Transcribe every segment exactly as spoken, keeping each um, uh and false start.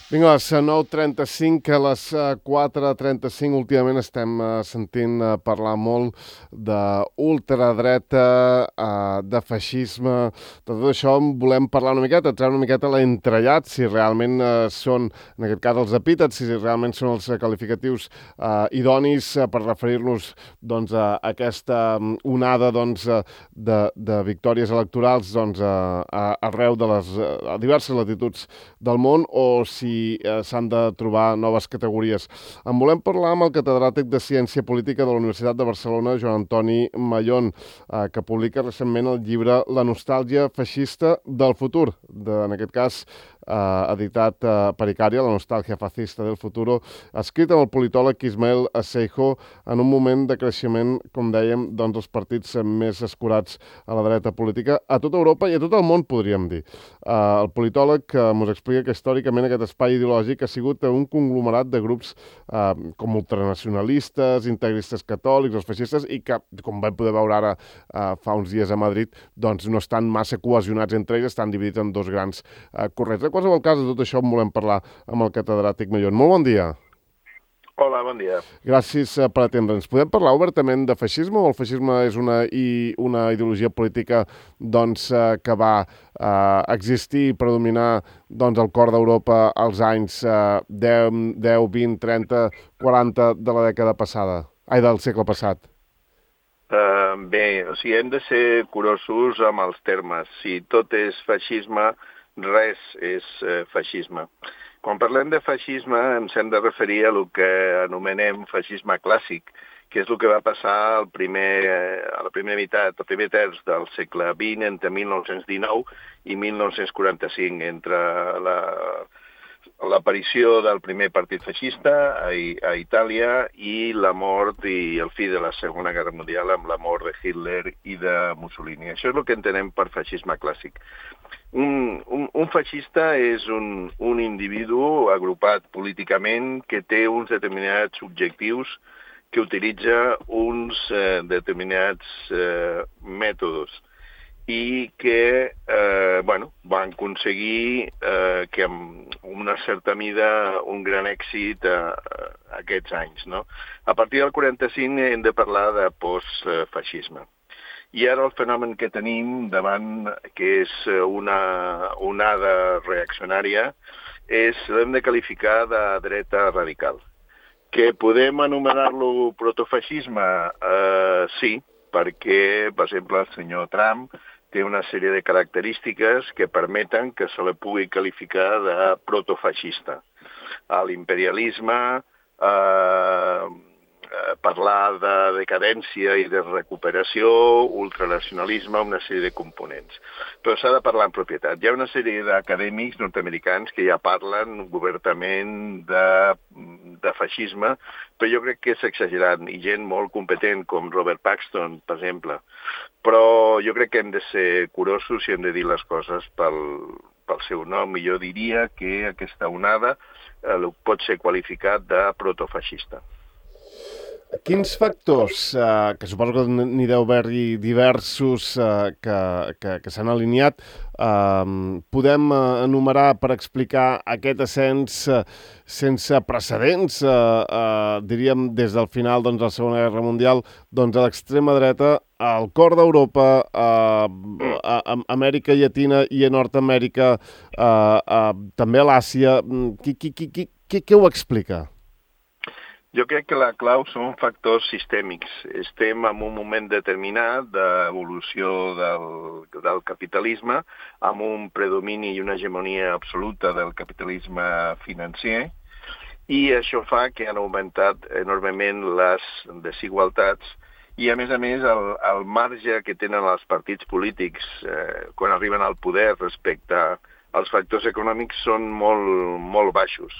Vinga, a les nou trenta-cinc, a les quatre trenta-cinc, últimament estem sentint parlar molt d'ultradreta, de feixisme, de tot això en volem parlar una miqueta, treure una miqueta l'entrellat, si realment són, en aquest cas, els epítets, si realment són els qualificatius idonis per referir-nos doncs, a aquesta onada doncs, de, de victòries electorals doncs, a, arreu de les a diverses latituds del món, o si s'han de trobar noves categories. En volem parlar amb el catedràtic de Ciència Política de la Universitat de Barcelona, Joan Antoni Mayón, eh, que publica recentment el llibre La nostàlgia feixista del futur, de, en aquest cas eh, editat eh, per Icària, La nostàlgia fascista del futuro, escrit amb el politòleg Ismael Asseijo en un moment de creixement, com dèiem, doncs els partits més escurats a la dreta política a tota Europa i a tot el món, podríem dir. Eh, el politòleg eh, ens explica que històricament aquest espai ideològic ha sigut un conglomerat de grups eh, com ultranacionalistes, integristes catòlics, els feixistes, i que, com vam poder veure ara eh, fa uns dies a Madrid, doncs no estan massa cohesionats entre ells, estan dividits en dos grans eh, corrents. En qualsevol cas, de tot això en volem parlar amb el catedràtic Mayón. Molt bon dia. Hola, bon dia. Gràcies per atendre'ns. Podem parlar obertament de feixisme, o el feixisme és una, i, una ideologia política doncs, eh, que va eh, existir i predominar doncs, al cor d'Europa als anys eh, deu, vint, trenta, quaranta de la dècada passada, ai, del segle passat? Uh, bé, o sigui, hem de ser curosos amb els termes. Si tot és feixisme, res és uh, feixisme. Quan parlem de feixisme ens hem de referir a el que anomenem feixisme clàssic, que és el que va passar al primer, a la primera meitat, al primer terç del segle vint, entre mil nou-cents dinou i mil nou-cents quaranta-cinc, entre la, l'aparició del primer partit feixista a, a Itàlia i la mort i el fi de la Segona Guerra Mundial amb la mort de Hitler i de Mussolini. Això és el que entenem per feixisme clàssic. Un, un, un feixista és un, un individu agrupat políticament que té uns determinats objectius, que utilitza uns eh, determinats eh, mètodes i que eh, bueno, van aconseguir eh, que amb una certa mida un gran èxit a, a aquests anys. No? A partir del quaranta-cinc hem de parlar de postfeixisme. I ara el fenomen que tenim davant, que és una onada reaccionària, és, l'hem de qualificar de dreta radical. Que podem anomenar-lo protofeixisme? Eh, sí, perquè, per exemple, el senyor Trump té una sèrie de característiques que permeten que se li pugui qualificar de protofeixista. L'imperialisme, eh, parlar de decadència i de recuperació, ultranacionalisme, una sèrie de components. Però s'ha de parlar en propietat. Hi ha una sèrie d'acadèmics nord-americans que ja parlen obertament de, de feixisme, però jo crec que és exagerat, i gent molt competent com Robert Paxton, per exemple. Però jo crec que hem de ser curosos i hem de dir les coses pel, pel seu nom, i jo diria que aquesta onada eh, pot ser qualificat de protofeixista. Quins factors, eh, que suposo que n'hi deu haver-hi diversos eh, que, que, que s'han alineat, eh, podem enumerar per explicar aquest ascens eh, sense precedents, eh, eh, diríem des del final doncs, de la Segona Guerra Mundial, doncs, a l'extrema dreta, al cor d'Europa, eh, a, a Amèrica Llatina i a Nord-Amèrica, eh, eh, també a l'Àsia. Qui, qui, qui, qui, qui, qui ho explica? Jo crec que la clau són factors sistèmics. Estem en un moment determinat d'evolució del, del capitalisme, amb un predomini i una hegemonia absoluta del capitalisme financer, i això fa que han augmentat enormement les desigualtats i, a més a més, el, el marge que tenen els partits polítics eh, quan arriben al poder respecte a els factors econòmics són molt, molt baixos.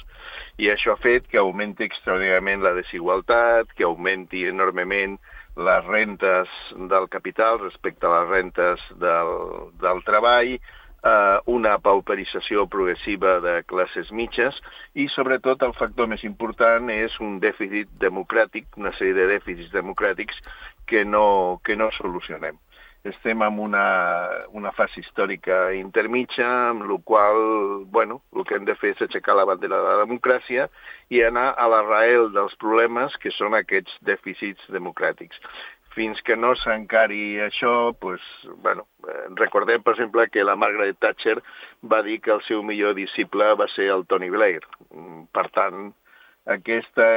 I això ha fet que augmenti extraordinàriament la desigualtat, que augmenti enormement les rentes del capital respecte a les rentes del, del treball, eh, una pauperització progressiva de classes mitges i, sobretot, el factor més important és un dèficit democràtic, una sèrie de dèficits democràtics que no, que no solucionem. estem en una, una fase històrica intermitja, amb la qual, bueno, el que hem de fer és aixecar la bandera de la democràcia i anar a l'arrel dels problemes que són aquests dèficits democràtics. Fins que no s'encari això, pues, bueno, recordem, per exemple, que la Margaret Thatcher va dir que el seu millor disciple va ser el Tony Blair. Per tant, aquesta,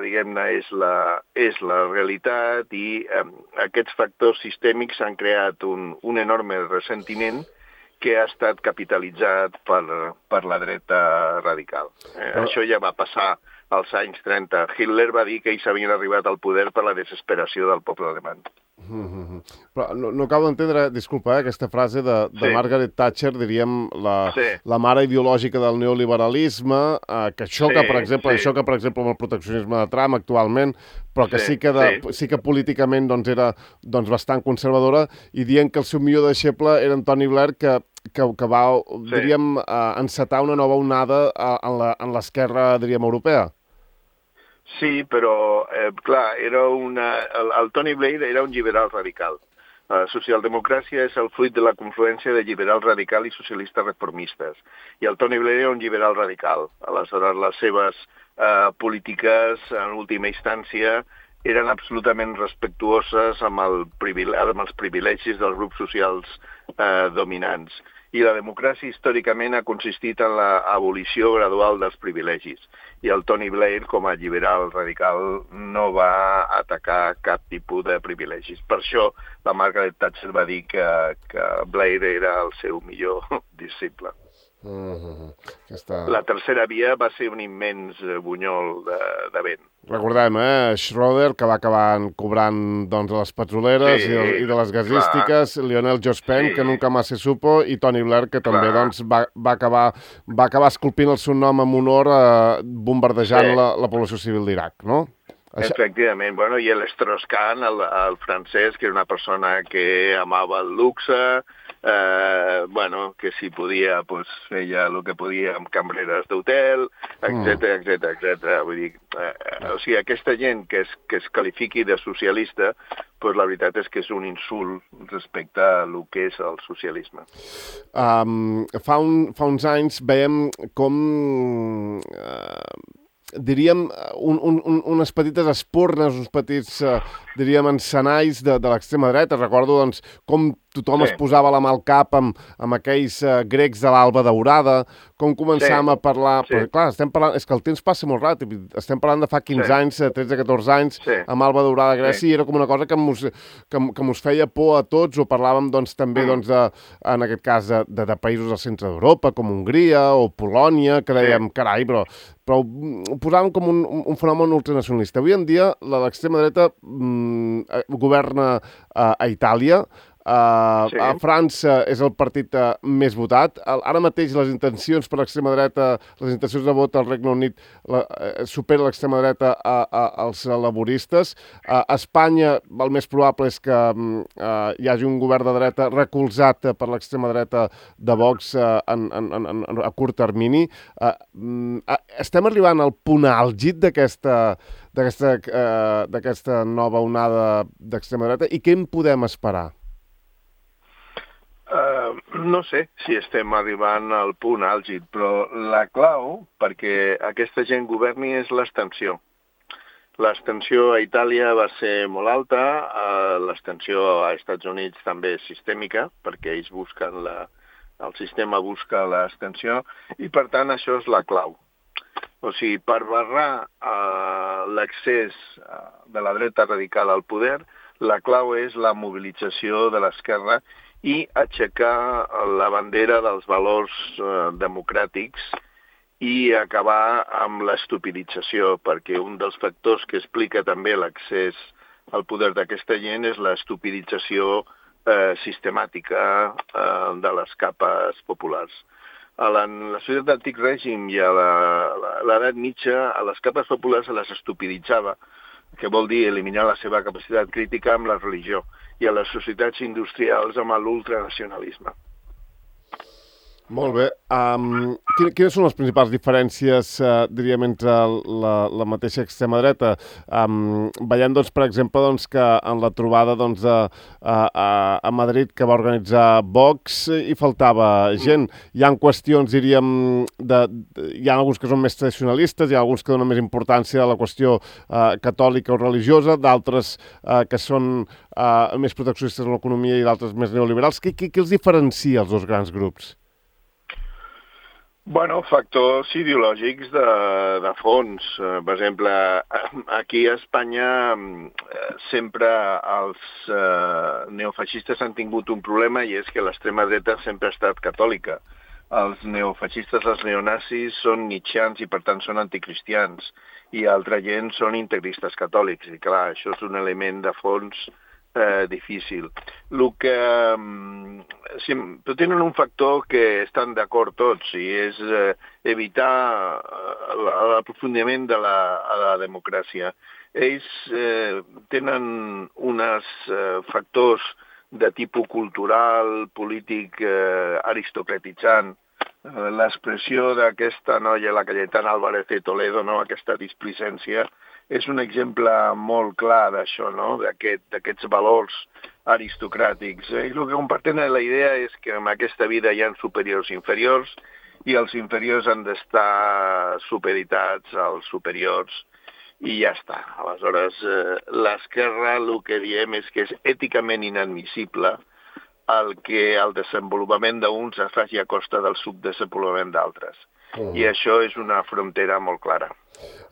diguem-ne, és la, és la realitat i eh, aquests factors sistèmics han creat un, un enorme ressentiment que ha estat capitalitzat per, per la dreta radical. Eh, oh. Això ja va passar als anys trenta. Hitler va dir que ells havien arribat al poder per la desesperació del poble alemany. Mm-hmm. Però no, no acabo d'entendre, disculpa, eh, aquesta frase de, de sí. Margaret Thatcher, diríem, la, sí. la mare ideològica del neoliberalisme, eh, que xoca, sí, per exemple, sí. xoca, per exemple, amb el proteccionisme de Trump actualment, però que sí, sí que, de, sí. sí que políticament doncs, era doncs, bastant conservadora, i dient que el seu millor deixeble era en Tony Blair, que, que, que va, sí. diríem, eh, encetar una nova onada eh, en l'esquerra, diríem, europea. Sí, però, eh, clar, era una, el, el Tony Blair era un liberal radical. La socialdemocràcia és el fruit de la confluència de liberal radical i socialistes reformistes. I el Tony Blair era un liberal radical. Aleshores, les seves eh, polítiques, en última instància, eren absolutament respectuoses amb, el amb els privilegis dels grups socials eh, dominants. I la democràcia històricament ha consistit en l'abolició gradual dels privilegis. I el Tony Blair, com a liberal radical, no va atacar cap tipus de privilegis. Per això la Margaret Thatcher va dir que, que Blair era el seu millor disciple. Mm-hmm. Aquesta... La tercera via va ser un immens bunyol de, de vent. Recordem, eh? Schroeder, que va acabar cobrant doncs, les petroleres sí, i, i de les gasístiques, clar. Lionel Jospin, sí. que nunca más se supo, i Tony Blair, que també doncs, va, va, acabar, va acabar esculpint el seu nom en honor eh, bombardejant sí. la, la població civil d'Iraq, no? Efectivament, bueno, i l'Strauss-Kahn, el, el francès, que era una persona que amava el luxe, eh, bueno, que si podia, pues, feia el que podia amb cambreres d'hotel, etcètera, etcètera, etcètera. Vull dir, eh, o sigui, aquesta gent que es, que es qualifiqui de socialista, pues la veritat és que és un insult respecte a el que és el socialisme. Um, fa, un, fa uns anys veiem com... Uh... diríem, un, un, unes petites espurnes, uns petits, eh, diríem, encenalls de, de l'extrema dreta. Recordo, doncs, com tothom sí. es posava la mà al cap amb, amb aquells eh, grecs de l'Alba Daurada, com començàvem sí. a parlar... Sí. Però, clar, estem parlant... És que el temps passa molt ràpid. Estem parlant de fa quinze sí. anys, tretze catorze anys, sí. amb Alba Daurada a Grècia, sí. i era com una cosa que mos, que, que mos feia por a tots, o parlàvem, doncs, també, mm. doncs, de, en aquest cas, de, de, de països del centre d'Europa, com Hongria o Polònia, que dèiem, sí. carai, però... però ho posàvem com un, un fenomen ultranacionalista. Avui en dia l'extrema dreta mm, governa uh, a Itàlia, uh, sí. a França és el partit uh, més votat. Ara mateix les intencions per l'extrema dreta, les intencions de vot al Regne Unit la, uh, supera l'extrema dreta a, a, als laboristes. Uh, a Espanya el més probable és que uh, hi hagi un govern de dreta recolzat per l'extrema dreta de Vox uh, en, en, en, en, a curt termini. Uh, uh, estem arribant al punt àlgid d'aquesta d'aquesta uh, d'aquesta nova onada d'extrema dreta i què en podem esperar? Uh, no sé si estem arribant al punt àlgid, però la clau perquè aquesta gent governi és l'abstenció. L'abstenció a Itàlia va ser molt alta, uh, l'abstenció a Estats Units també és sistèmica, perquè ells busquen la, el sistema busca l'abstenció, i per tant això és la clau. O sigui, per barrar uh, l'accés uh, de la dreta radical al poder, la clau és la mobilització de l'esquerra i aixecar la bandera dels valors uh, democràtics i acabar amb l'estupidització, perquè un dels factors que explica també l'accés al poder d'aquesta gent és l'estupidització eh, sistemàtica eh, de les capes populars. A la, la societat d'antic règim i a l'edat mitja, a les capes populars se les estupiditzava, que vol dir eliminar la seva capacitat crítica amb la religió, i a les societats industrials amb l'ultranacionalisme. Molt bé. Um, quines són les principals diferències, uh, diríem, entre la, la mateixa extrema dreta? Um, veiem, doncs, per exemple, doncs, que en la trobada doncs, a, a, a Madrid que va organitzar Vox hi faltava gent. Hi ha qüestions, diríem, de, de, hi ha alguns que són més tradicionalistes, hi ha alguns que donen més importància a la qüestió uh, catòlica o religiosa, d'altres uh, que són uh, més proteccionistes en l'economia i d'altres més neoliberals. Què, què, què els diferencia els dos grans grups? Bueno, factors ideològics de, de fons. Per exemple, aquí a Espanya sempre els eh, neofeixistes han tingut un problema i és que l'extrema dreta sempre ha estat catòlica. Els neofeixistes, els neonazis, són nietzscheans i per tant són anticristians i altra gent són integristes catòlics. I clar, això és un element de fons Eh, difícil. El que, sí, però tenen un factor que estan d'acord tots i és eh, evitar l'aprofundiment de la, a la democràcia. Ells eh, tenen uns eh, factors de tipus cultural, polític, eh, aristocratitzant. L'expressió d'aquesta noia, la Cayetana Álvarez de Toledo, no? Aquesta displicència, és un exemple molt clar d'això, no? D'aquest, d'aquests valors aristocràtics. I el que comparten la idea és que en aquesta vida hi ha superiors i inferiors i els inferiors han d'estar supeditats als superiors i ja està. Aleshores, eh, l'esquerra el que diem és que és èticament inadmissible el que el desenvolupament d'uns es faci a costa del subdesenvolupament d'altres. Uh-huh. I això és una frontera molt clara.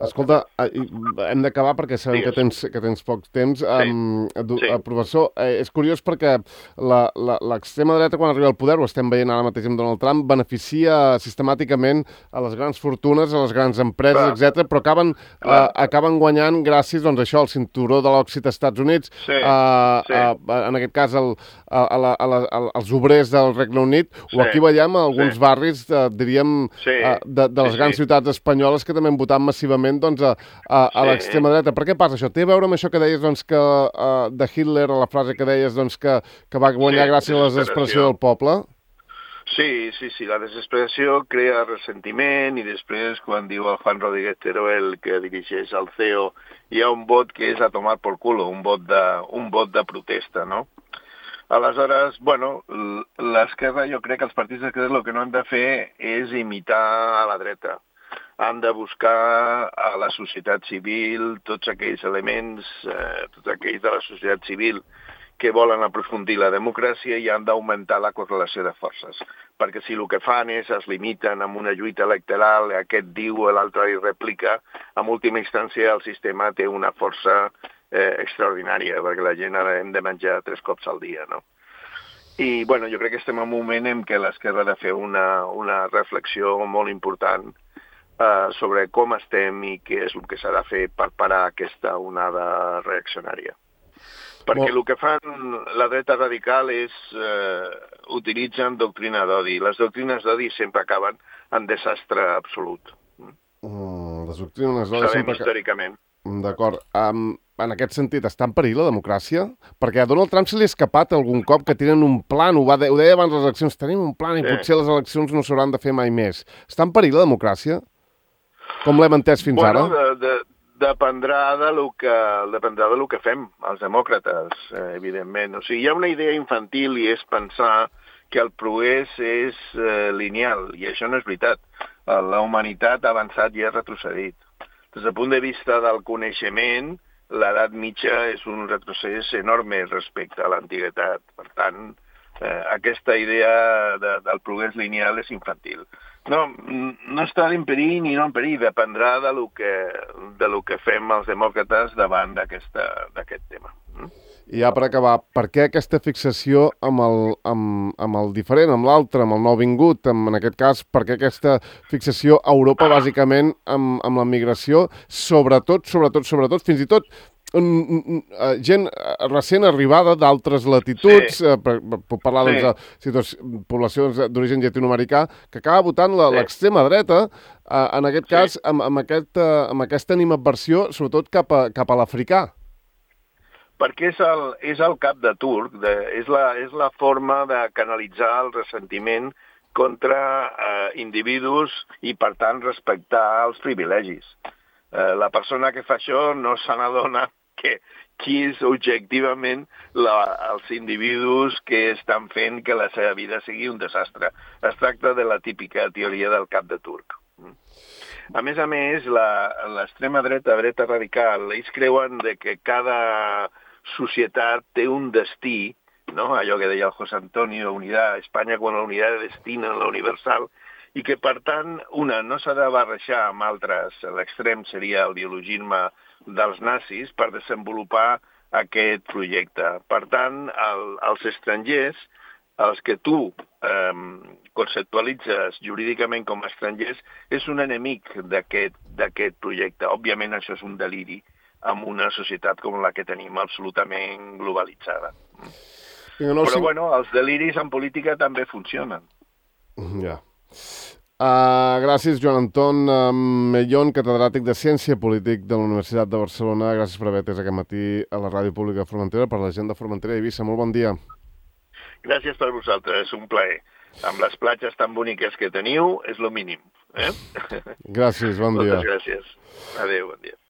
Escolta, hem d'acabar perquè sabem que tens, que tens poc temps. Sí. Um, sí. Professor, eh, és curiós perquè l'extrema dreta, quan arriba al poder, ho estem veient ara mateix amb Donald Trump, beneficia sistemàticament a les grans fortunes, a les grans empreses, etcètera, però acaben, uh, acaben guanyant gràcies doncs, això, al cinturó de l'òxid als Estats Units, sí. Uh, sí. Uh, en aquest cas el, a, a la, a la, als obrers del Regne Unit, sí. O aquí veiem alguns sí. barris, uh, diríem, sí. uh, de, de les grans sí, sí. ciutats espanyoles que també han votat massivament doncs, a, a, a sí. l'extrema dreta. Per què passa això? Té a veure amb això que deies doncs, que, uh, de Hitler, a la frase que deies doncs, que, que va guanyar sí, gràcies a la desesperació del poble? Sí, sí, sí. La desesperació crea ressentiment i després, quan diu el Juan Rodríguez Teruel, que dirigeix el C E O, hi ha un vot que és a tomar por culo, un vot de, un vot de protesta, no? Aleshores, bueno, l'esquerra, jo crec que els partits d'esquerra el que no han de fer és imitar a la dreta. Han de buscar a la societat civil tots aquells elements, eh, tots aquells de la societat civil que volen aprofundir la democràcia i han d'augmentar la correlació de forces. Perquè si el que fan és es limiten amb una lluita electoral, aquest diu, l'altre hi replica, en última instància el sistema té una força eh, extraordinària, perquè la gent ara hem de menjar tres cops al dia, no? I, bueno, jo crec que estem en un moment en què l'esquerra ha de fer una, una reflexió molt important Uh, sobre com estem i què és el que s'ha de fer per parar aquesta onada reaccionària. Perquè el que fan la dreta radical és uh, utilitzen doctrina d'odi. Les doctrines d'odi sempre acaben en desastre absolut. Mm, les doctrines d'odi sempre... històricament. D'acord. Um, en aquest sentit, està en perill la democràcia? Perquè a Donald Trump se li ha escapat algun cop que tenen un plan, ho, va de... ho deia abans les eleccions, tenim un plan i sí. Potser les eleccions no s'hauran de fer mai més. Està en perill la democràcia? Com l'hem entès fins bueno, ara? De, de, dependrà de lo que dependrà de lo que fem, els demòcrates, eh, evidentment. O sigui, hi ha una idea infantil i és pensar que el progrés és eh, lineal, i això no és veritat. La humanitat ha avançat i ha retrocedit. Des del punt de vista del coneixement, l'edat mitja és un retrocés enorme respecte a l'antiguitat. Per tant, eh, aquesta idea de, del progrés lineal és infantil. No, no està en perill ni no en perill, dependrà de lo que, de lo que fem els demòcrates davant d'aquest tema. I ja per acabar, per què aquesta fixació amb el, amb, amb el diferent, amb l'altre, amb el nouvingut, amb, en aquest cas, per què aquesta fixació a Europa, bàsicament, amb, amb la migració, sobretot, sobretot, sobretot, fins i tot, gent recent arribada d'altres latituds, sí. per, per parlar sí. doncs, de poblacions d'origen llatinoamericà, que acaba votant l'extrema sí. dreta, eh, en aquest cas, sí. amb, amb, aquest, amb aquesta animadversió, sobretot cap a, cap a l'africà. Perquè és el, és el cap de turc, de, és, la, és la forma de canalitzar el ressentiment contra eh, individus i, per tant, respectar els privilegis. Eh, la persona que fa això no se n'adona que qui és objectivament la, els individus que estan fent que la seva vida sigui un desastre. Es tracta de la típica teoria del cap de turc. A més a més, l'extrema dreta, dreta radical, ells creuen de que cada societat té un destí, no? Allò que deia el José Antonio, unidad, Espanya com la unitat de destino, la universal, i que, per tant, una no s'ha de barrejar amb altres. L'extrem seria el biologisme dels nazis per desenvolupar aquest projecte. Per tant, el, els estrangers, els que tu eh, conceptualitzes jurídicament com a estrangers, és un enemic d'aquest projecte. Òbviament, això és un deliri en una societat com la que tenim absolutament globalitzada. Però, bueno, els deliris en política també funcionen. Ja. Uh, gràcies, Joan Anton uh, Mellón, catedràtic de Ciència Polític de la Universitat de Barcelona. Gràcies per haver atès aquest matí a la Ràdio Pública de Formentera, per la gent de Formentera i Eivissa. Molt bon dia. Gràcies per vosaltres, és un plaer. Amb les platges tan boniques que teniu, és lo mínim. Eh? Gràcies, bon dia. Moltes gràcies. Adéu, bon dia.